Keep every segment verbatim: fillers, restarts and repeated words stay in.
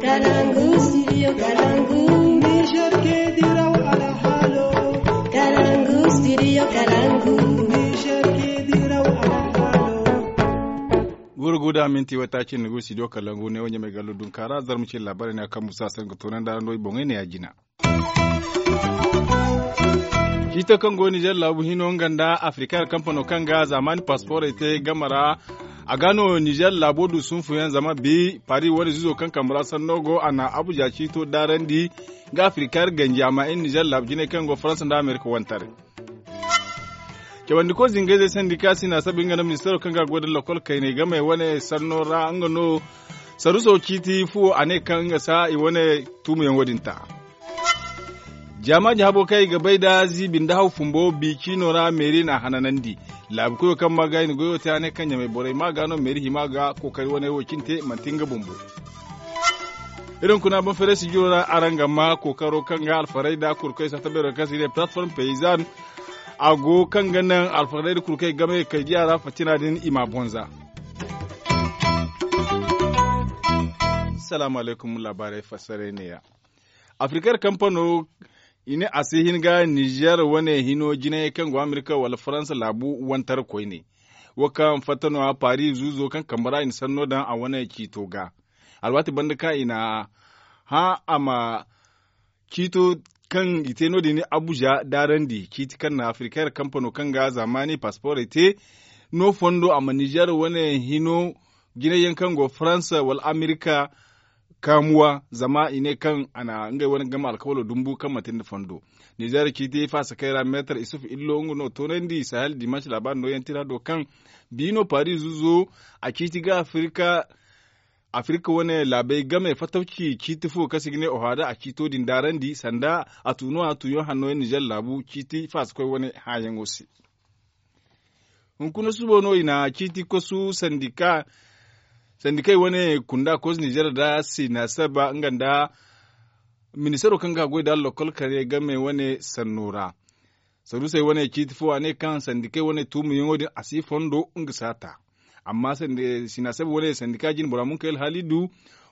Kalangu, studio Kalangu. Niger ke diraw alhalo. Kalangu, studio Kalangu. Niger ke diraw alhalo. Guru guda minti wata cin ni gu studio Kalangu ne wanya mai gallo dun kara zarmu cin labarai ne akan musa san ga tonan da rando i bongai ne ya jina. Ciito kaŋ go nizer laabu hino nga nda afrika hari kampano kaŋ ga zaamaani pasporey te game ra. A ga no nizer laabo du sunfuyaŋ zama bi pari wane zizo kaŋ kambe ra sanno go a na abuja ciito daarandi. Ga afrika hari ganji a ma iri nizer laabu jinay kaŋ go faransa nda amerika wane taray. Cawandi koy zingayzey sandika sina sabi nga nda ministaro kaŋ ga a goy nda lokol kaynay game wane sanno ra nga no. Saruso ciiti fuwo a ne kaŋ nga si i wane tuumayaŋo din ta. Jaamaaji habo kaŋ i ga bay nda ziibi nda haw fumbo bi ciino ra meeri na a hananandi. Laabu koyo kaŋ ma ga i na goyo te a ne kaŋ ɲamay borey ma ga no meeri hima ga kookari wane wo cine te manti nga bumbo. Iri hunkuna banfere sijiro ra araŋ ga ma kookaro kaŋ ga alfarey nda kurkey sata beero kaŋ se i ne platform paysan. A go kaŋ ga naŋ alfarey nda kurkey game kay diya ra fatina din i ma bonza. Salaamu alaykum laabaarey fassarey ne ya. Afrika hari kampano i ne a si hin ga nizer wane hino jinayey kaŋ go amerika wala faransa laabu wantar koyne. Wo kaŋ fatta no a paris zuuzo kaŋ kambe ra i na sanno daŋ a wane ciito ga. Alwaati banda kaŋ i na hã a ma ciito kaŋ i te no- din abuja daarandi ciiti kaŋ na afrika hari kampano kaŋ ga zaamaani pasporey te. No fondo a ma nizer wane hino jinay yaŋ kaŋ go faransa wala amerika kaamuwa zama i ne kaŋ a na ngey wane game alkawalo dumbu kaŋ manti nda fondo. Nizer ciiti faasa kay ra meetar isuf illo nga no toonandi sahel dimansi laabaari nooyaŋ tira do kaŋ bi no paris zuuzo a ciiti ga afirka. Afirka wane laabey game fatawci ciiti fo kaŋ se i ga ne ohada a ciito din daarandi sanda a tu no a tuuyaŋ hanno yaŋ nizer laabu ciiti faasa koy wane hãayaŋo se. Hunkuna subo no i na ciiti kosu sandika sandikey wane kunda kosu nizer nda sina saba nga nda ministaro kaŋ ga goy nda lokol kare game wane sanno ra. Saruusey wane ciiti fo a ne kaŋ sandikey wane tuumayaŋo din a si fondo nga si a ta. Amma sina saba wane sandika jine bora munkey alhaali du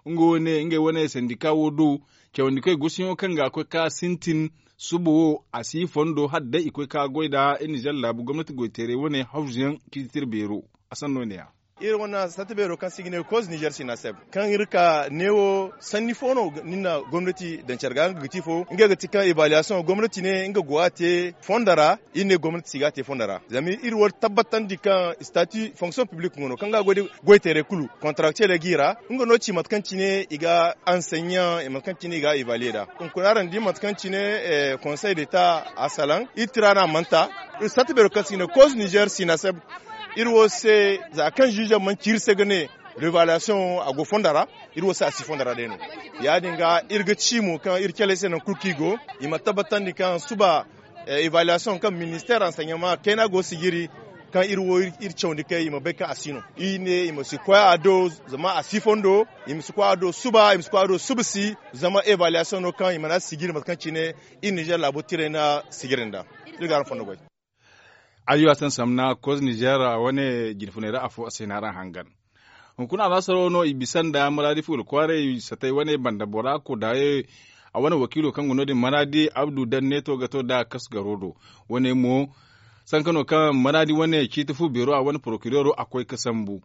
nga wane ngey wane sandika wo do cawandikoy gosuyaŋo kaŋ ga koy ka sintin. Suba wo a si fondo hala day i koy ka goy nda iri nizer laabu gomnati goyteeray wane hawzuyaŋ ciiti tira beero. A sanno ne ya. Iri wane sata beero kaŋ se i ga ne koz nizer sinaseb kaŋ iri ka neewo sanni fo no ni na gomnati daŋ care ga nga ga ti fo ngey ga ti kaŋ evaluation gomnati ne nga go a te fondo ra. Iri ne gomnati si ga a te fondo ra zama iri war tabbatandi kaŋ stati fonction public nga no kaŋ ga a goy da goyteeray kulu kontaraktiyeeley ga i ra. Nga no ci mate kaŋ cine i ga ansanyaŋ mate kaŋ cine i ga evaluer nd'a. Hunkuna araŋ di mate kaŋ cine konsey deta a salaŋ iri tira no a mana ta. Sata beero kaŋ se i ga ne koz nizer sinaseb iri wo se za kaŋ ziizo mana ci iri se ga ne revaluation a go fondo ra. Iri wo se a si fondo ra day no. Ya- din ga iri ga ci mo kaŋ iri caley se nangu kulu kaŋ i go i ma tabbatandi kaŋ suba evaluation kaŋ ministeer ansaɲama kayna go sijiri kaŋ iri wo iri cawandi kay i ma bay kaŋ a si no. Iri ne i ma si koy a do zama a si fondo. I ma si koy a do suba i ma si koy a do suba si zama evaluation no kaŋ i mana sijiri mate kaŋ cine iri nizer laabo tiray na sijiri nd'a. Iri ga araŋ fondo goy. Ayyo a san samna koz nizer wane jinfunay ra afo a se no araŋ hangan. Hunkuna alaasaro no i bisa nda maraadi fuwel kwaaray satay wane banda bora ko daayey. A wane wakiilo kaŋ go no- din maraadi abdu danneeto ga to da kasgaro do. Wane mo sanka no kaŋ maraadi wane ciiti fu beero a wane porokireero a koy ga sambu.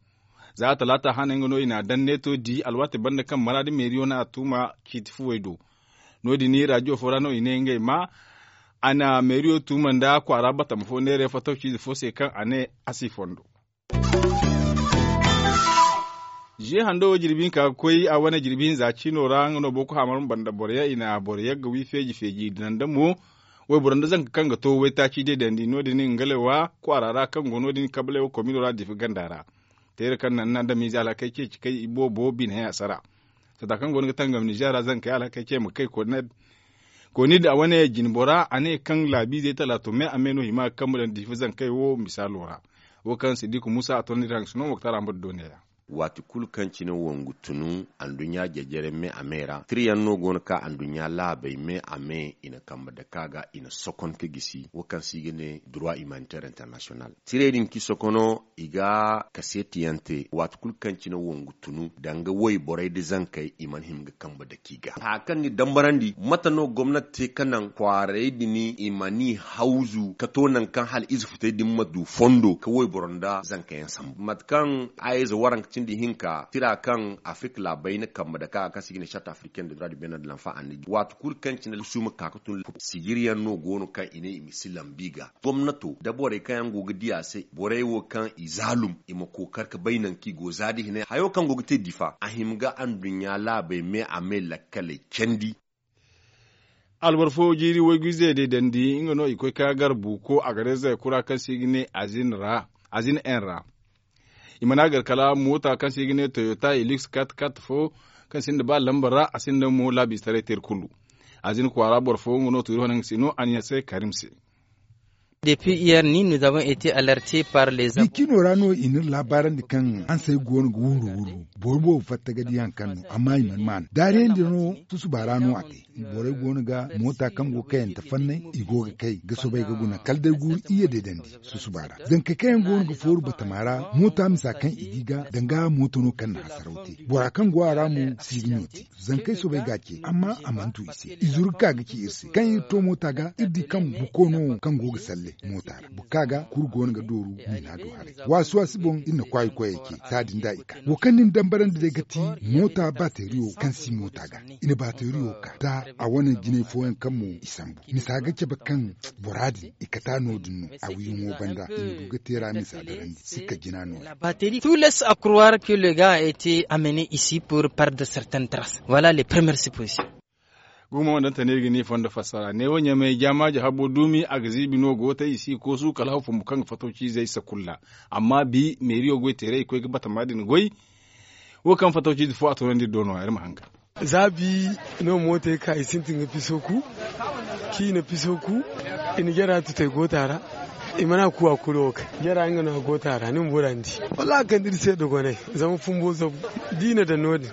Za talaata hane nga no i na danneeto di alwaati banda kaŋ maraadi meeriyo no a tuuma ciiti fuwey do. No- din rajiyo fo ra no i ne ngey ma a na meeriyo tuuma nda kwaara batama fo neera yaŋ fattaw ciize fo se kaŋ a ne a si fondo. Ziye hando wo jirbi hinka ga koy a wane jirbi hinza ciino ra nga no boko hamar banda boroyaŋ i na boroyaŋ ga wi feeji feeji nda mo. Wayboro nda zanka kaŋ ga to waytaaci deedandi no- din ngalewa kwaara ra kaŋ go no- din kabalay wo komino ra difi ganda ra. Teera kaŋ naŋ na damiize alhakey ceeci kay iboobo bine yaŋ a sara. Sata kaŋ go no ga tangam nizer ra zankey alhakey ce ma kay koned. Konid a wane jine bora a ne kaŋ laabiizey talaato me a me no hima ga kambe daŋ diifa zankey wo misaalo ra. Wo kaŋ sidiku musa a tondi ranks no moktar a ma da doone ya. Waati kulu kaŋ cine wongu tunu anduɲɲa jejere me a me ra tirayaŋ no go no ka anduɲɲa laabey me a me i na kambe dake a ga i na sokon ka gisi wo kaŋ se i ga ne droit humanitaire international. Tirey din ka i sokono i ga kaseetiyaŋ te waati kulu kaŋ cine wongu tunu danga wayborey nda zankey i mana hima ga kambe dake i ga. Haya kaŋ ni dambarandi mate no gomnati te ka naŋ kwaarey din i ma ni hawzu ka to nangu kaŋ hala ize futey din ma du fondo ka wayboro nda zankayaŋ sambu mate kaŋ ayeze waranka cindi hinka tira kaŋ afirika laabey na kambe dake a ga kaŋ se i ga ne charte africaine de droit du bene de lanfa a na di waati kulu kaŋ cine gusu ma ka ga tun sijiriyaŋ no go no kaŋ i ne i ma si lambu i ga. Gomnato nda borey kaŋ yaŋ go ga di a se borey wo kaŋ i zaalum i ma kookari ka bay nangu kaŋ i go za nda hina hayo kaŋ go ga te difa a hima ga anduɲɲa laabey me a me lakkaley candi. Alboro fo jiiri waygu-izey day dandi nga no i koy ka gar buuko a ga reezey kura kaŋ se i ga ne azin en ra. I mana gar kala moota kaŋ se i ga ne toyota hilux kat kat fo kaŋ sinda ba lamba ra a sinda mo laabiize taray teeri kulu. Azin kwaara boro fo nga no tuuri hona nga se no a na yaŋ se karim se. Depuis hier ni nous avons été alertés par les. Bikino ra no i n'iri laabaarandi kaŋ hansey go no ga wuru wuru boro boobo fatta ga di hari kaŋ no amma i mana maana daariyandi no susuba ra no a te. Borey go no ga moota kaŋ go kayante fannay i go ga kay ga soobay ga guna kala day guuru iyye deedandi susuba ra. Zankey kaŋ yaŋ go no ga fooru batama ra moota misa kaŋ i di ga danga mooto no kaŋ na hasaraw te bora kaŋ go a ra mo si ga no te. Zankey soobay ga a ce amma a mana tu i se i zuru ga ka ga ci iri se kaŋ iri to moota ga iri di kaŋ buko no kaŋ go ga salle moota ra buka ga kulu go no ga dooru miina do haray. Waasi waasi boŋ iri na kwaayi koyey ce saadin da i ka wo kaŋ ni na dambarandi day ga ti moota baateeriyo kaŋ si moota ga i na baateeriyo ka da a wane jinay fooyaŋ kaŋ mo i sambu misa ga cabe kaŋ bora din i kata no- din no a wiiyaŋo banda i ma du ga teera misa darandi sikka jina no. Tous laisse à croire que le gars a été amené ici pour perdre certaines traces voilà les premières suppositions. Gumo wanda ta ne ga ni fondo fassara ne wo ɲamay jaamaaji habo duumi a ga ziibi no go ta i si koosu kala haw fumbu kaŋ ga fatawci zay sakulla. Amma bi meeriyo goy teeray i koy ga batama din goy wo kaŋ fatawci fo a toonandi do no iri ma hanga. Za bi no mooto ka i sintin ga piso ku. Kaŋ i na piso ku i na jara tutay goota ra. I mana kuwa kulu wo kay jara nga no a goota ra ni ma bora ni di. Wallahi a kande iri se dogonay zama fumbo zabu da i na daŋ no- din.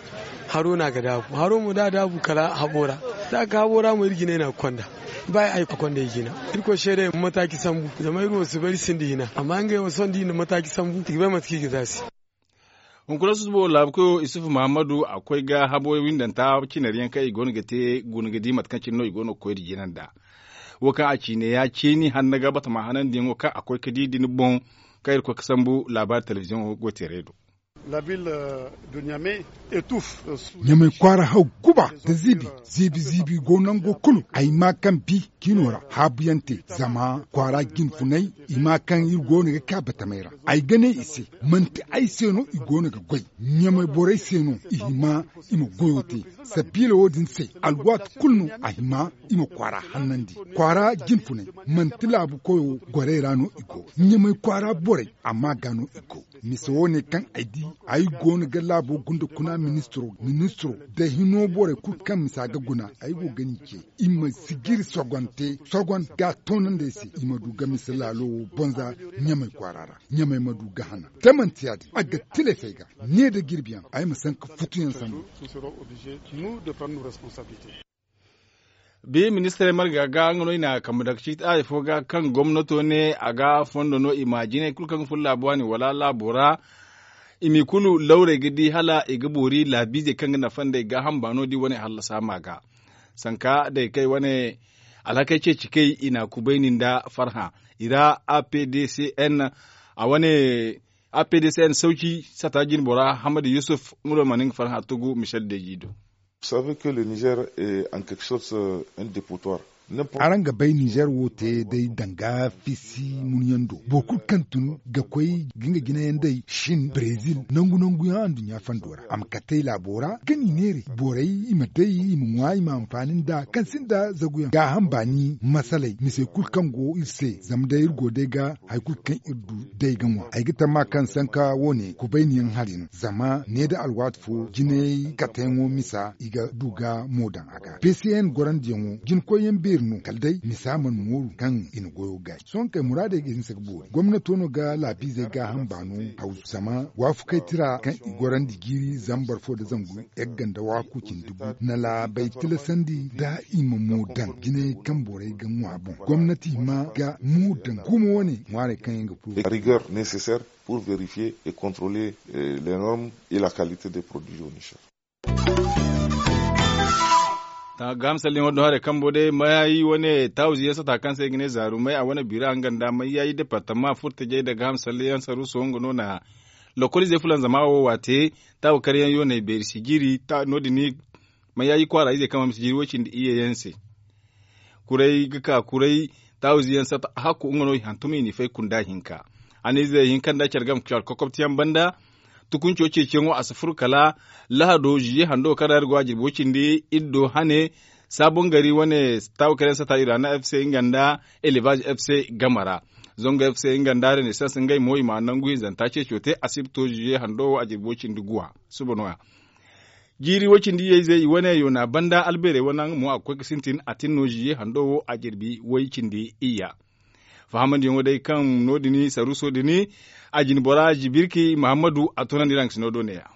Haro no a ga daabu haro mo da a daabu kala habo ra. Da a ka habo ra mo iri jinay no a ga konda. Ba ay ay ga konda ay jina. Irkoy seeday mataaci sambu zama iri wo si bay iri sinda hina amma ngey wo sohõ da i na mataaci sambu i ga bay mate kaŋ i ga za se. Hunkuna susubo laabukoyo isufu muhammadu a koy ga habo windanta cinari yaŋ kaŋ i go no ga te guna ga di mate kaŋ cine no i go no ga koy nda jina nda. Wo kaŋ a ciine ya ceeni hanna ga batama hanandiyaŋo kaŋ a koy ga di din boŋ kaŋ iri koy ga sambu laabaari telebiziyoŋo goy teeray do. Ɲamay kwaara haw guba nda ziibi ziibi ziibi go nango kulu ay ma kaŋ bi ciino ra haabuyaŋ te zama kwaara jinfunay i ma kaŋ iri go no ga ka batamey ra. Ay ga ne i se manti ay se no i go no ga goy ɲamay borey se no i hima i ma goyo te. Sabiila wo- din se alwaati kulu no a hima i ma kwaara hannandi. Kwaara jinfunay manti laabu koyo gorey ra no i go ɲamay kwaara borey amma ga no i go. Mise wo- ne kaŋ ay di ay go no ga laabo gunda kuna ministiro ministiro da hino borey kulu kaŋ misa ga guna ay go ga ni ce i ma sijiri sogon te sogon ga a toonandi ay se i ma du ga mise laalo wo bonza ɲamay kwaara ra ɲamay ma du ga hana da manti ya- din a ga tilasey ga ne da jirbiyaŋ ay ma sanka futuyaŋ sambu. Bi ministirey marga ga nga no i na kambe daga ciiti aayi fo ga kaŋ gomnato ne a ga fondo no i ma jinay kulu kaŋ ga furo laabu waani wala laabo ra. I m'i kulu lawrey ga di hala i ga boori laabiizey kaŋ ga nafa nd'ey gaaham baano di wane hallasa ma ga. Sanka day kay wane alhakey ceeci kay i na kubayni nda farhã. I ra a p d c n a wane a p d c n sawci sata jinbora hamadi yusuf nga do ma nin ga farhã tugu michel deji do. Araŋ ga bay nizer wo te day danga fisi munyaŋ do boro kulu kaŋ tun ga koy ga nga jinayaŋ day shin brezil nangu nangu yaŋ anduɲɲa fando ra a ma kate laabo ra ga ni neeray borey i ma day i ma ŋwa i ma hanfaani nda kaŋ sinda zaguyaŋ gaaham baani masaley mise kulu kaŋ go iri se zama day iri go day ga hari kulu kaŋ iri du day ga ŋwa ay ga tamma kaŋ sanka wo- ne kubayniyaŋ hari no zama ne da alwaati fo jinay kateyaŋo misa i ga du ga mo daŋ a ga p c n gorandiyaŋo jinkoyyaŋ beeri. no kala day misa mana mooru kaŋ i na goyo gaayi sohõ kay muraadey ga hinse ga boori gomnato no ga laabiizey gaaham baano hawzu zama waafakey tira kaŋ i gorandi jiiri zambar fo nda zangu yagga nda waaku cindi gu na laabey tilasandi nda i ma moo daŋ jinayey kaŋ borey ga ŋwa boŋ gomnati ma ga moo daŋ gumo wane ŋwaarey kaŋ yaŋ ga furo. Rigueur nécessaire pour vérifier et contrôler les normes et la qualité des produits au niger. Gaaham salliyaŋo do haray kambo day mayayi wane taawuzi yaŋ sata kaŋ se i ga ne zaarumay a wane bira nga nda mayayi departama furtajey nda gaaham salliyaŋ saruuso nga no na lokoliizey fulanzama wo waate taawu karyaŋ yooney beeri si jiiri no- din mayayi kwaara izey kaŋ ma si jiiri way-cindi iyye yaŋ se. Kuray ga ka kuray taawuzi yaŋ sata hakku nga no i hantum i n'i fay kunda hinka. Haniizey hinka nda care game care kokobtiyaŋ banda tukunco ceeciyaŋo a si furo kala lahado ziize hando kaŋ ra iri go a jirbi way-cindi iri do hane saabon gari wane taawu kare yaŋ sata iraana f c nga nda elevaz f c game ra. Zango f c nga nda renaissance ngey mo i ma nangu hinzanta ceeco te a si iri to ziize hando wo a jirbi way-cindi guwa suba no- ya. Jiiri way-cindi iyye ize i wane yoona banda albeerey wane nga mo a ga koy ga sintin a tin no ziize hando wo a jirbi way-cindi iyya. Fahamandiyaŋo day kaŋ no- din saruuso din a jine bora jibirki mahammadu a toonandi iri haŋ ga si no do ne- ya.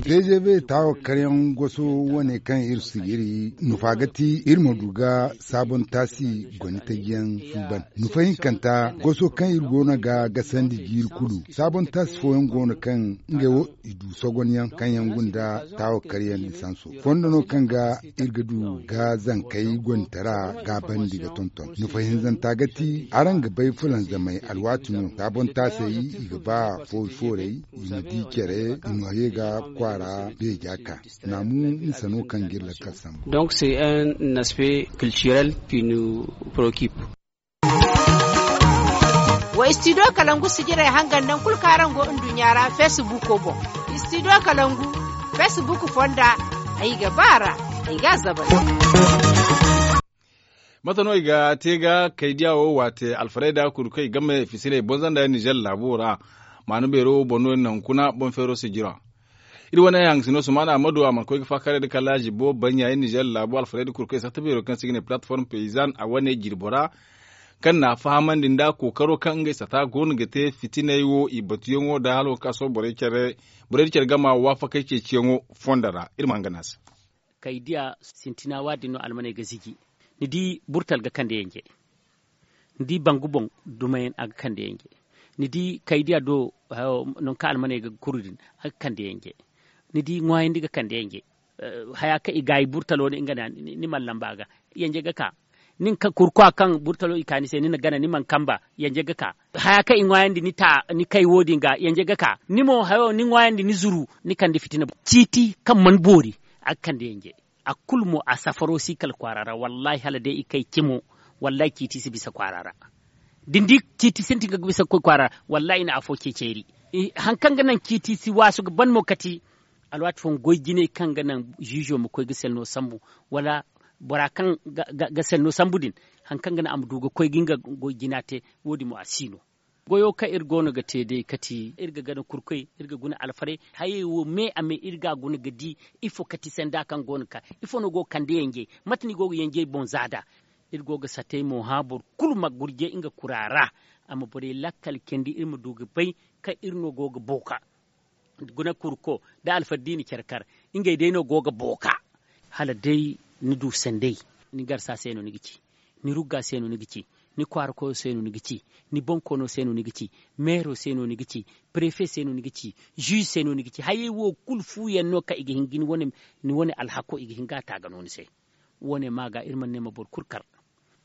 Tgv taawo karyaŋ goso wane kaŋ iri si ga iri nufa ga ti iri ma du ga saabon taasi goni taji yaŋ suuban nufa hinkanta goso kaŋ iri go no ga gasandi jiiri kulu saabon taasi fooyaŋ go no kaŋ ngey wo i du sogonyaŋ kaŋ yaŋ gunda taawo karyaŋ lisanso fondo no kaŋ ga iri ga du ga zankey gonditara gaabandi ga tonton nufa hinzanta ga ti araŋ ga bay fulanzamey alwaati no taabontaasey i ga ba foori foorey i ma di care i ma ye ga kwaara beeja ka naamu ni sano kaŋ ga iri lakkal sambu. Donc c'est un aspect culturel qui nous préoccupe. Wa studio kalangu sijirey hangan naŋ kulu kaŋ araŋ go nduɲɲa ra facebook boŋ. Studio kalangu facebook fonda ay ga ba a ra ay ga a zabari. Mate no i ga te ga kaydiya wo waate alfarayda kulu kaŋ i game fisiney bonzanda nizer laabo ra maanu beero wo boŋ no iri na hunkuna boŋ feero sijira. Iri wane haŋ sino sumaana amadu a mana koy ga faakare nda kala zibo banya iri nizer laabo alfarayda kulu kaŋ i satta beero kaŋ se i ga ne palatform payzan a wane jirbo ra kaŋ na a fahamandi nda kookaro kaŋ ngey sata go no ga te fitiney wo i batuyaŋo nda hala wo kaŋ a sohõ borey da care gama waafakey ceeciyaŋo fondo ra iri ma hangana se. Kay diya sintina waadin no almaney ga ziji. Ni di burtal ga kande yanje. Ni di bangu boŋ dumayaŋ a ga kande yanje. Ni di kay diya do nangu kaŋ almaney ga kuru din a ga kande yanje. Ni di ŋwaayandi ga kande yanje. Haya kaŋ i gaayi burtalo ni nga na ni mana lamba a ga. Yanje ga ka nin ka kurkwa kaŋ burtalo i ka ni se ni na gana ni mana kamba. Yanje ga ka haya kaŋ i ŋwaayandi ni kay wo- din ga yanje ga ka ni mo hayo ni ŋwaayandi ni zuru. Ni kande fitina ciiti kaŋ mana boori a ga kande yanje. A kulu mo a safaro si kala kwaara ra wallahi hala day i kay cimo. Wallahi ciiti si bisa kwaara ra. Da ni di ciiti sintin ga bisa kwaara ra wallahi i na afo ceeceeri. Hari kaŋ ga naŋ ciiti si waasu ga ban mo kati alwaati fooyaŋ goy jinay kaŋ ga naŋ ziizo ma koy ga selno sambu wala bora kaŋ ga selno sambu din. Hari kaŋ ga naŋ a ma du ga koy ga nga goy jina te wo- din mo a si no. Goyo kaŋ iri go no ga te day kati iri ga gana kurkoy iri ga guna alfaray hayey wo me a me iri ga a guna ga di ifo kati sanda kaŋ go no ga ka ifo no go ga kande yanjey? Mate no i go ga yanjey boŋ za nd'a iri go ga satey mo hã boro kulu ma gurje nga kura ra. A ma borey lakkal candi iri ma du ga bay kaŋ iri no go ga booka. Guna kurko nda alfaddiina care kar ngey day no go ga booka. Hala day ni du sanday ni garsa se no ni ga ci. Ni rugga se no ni ga ci. Ni kwaara koyo se no ni ga ci. Ni bonkoono se no ni ga ci. Meero se no ni ga ci. Prefe se no ni ga ci. Ziize se no ni ga ci hayey wo kulu fu yaŋ no kaŋ i ga hin ga ni wane alhako i ga hin ga a taaga no ni se. Wo- ne ma ga iri mana ne ma boro kulu kar.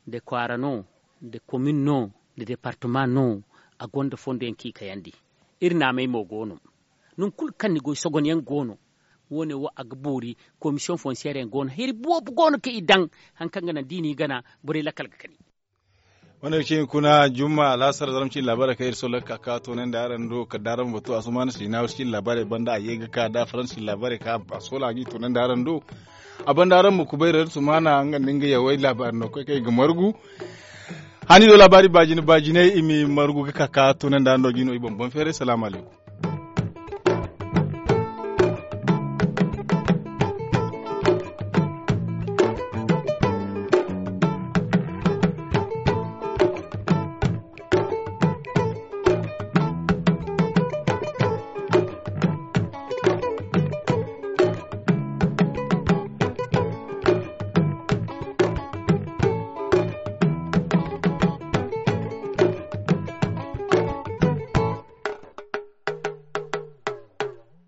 Da kwaara no da komin no da departama no a gonda fondo yaŋ kaŋ i kayandi. Iri naamey mo go no. Nangu kulu kaŋ ni goy sogon yaŋ go no. Wo- ne wo a ga boori komisiyoŋ fonseer yaŋ go no hari boobo go no kaŋ i daŋ. Hari kaŋ ga naŋ da i n'i gana borey lakkal ga kani. Wane ga cine kuna jumma alhasar zarma cine laabaarey kaŋ iri sohõ ga ka ka toonandi araŋ do kala da araŋ ma batu asumaana siina wo cine laabaarey banda a ye ga ka da faransi laabaarey kaŋ a sohõ a ga i toonandi araŋ do. A banda araŋ ma kubay radu sumaana nga nda nga yawey laabaari no koy kaŋ i ga margu. Hani do laabaari baajine baajiney i ma i margu ga ka ka toonandi araŋ do ga i no i boŋ boŋ feeray salaamu alaykum.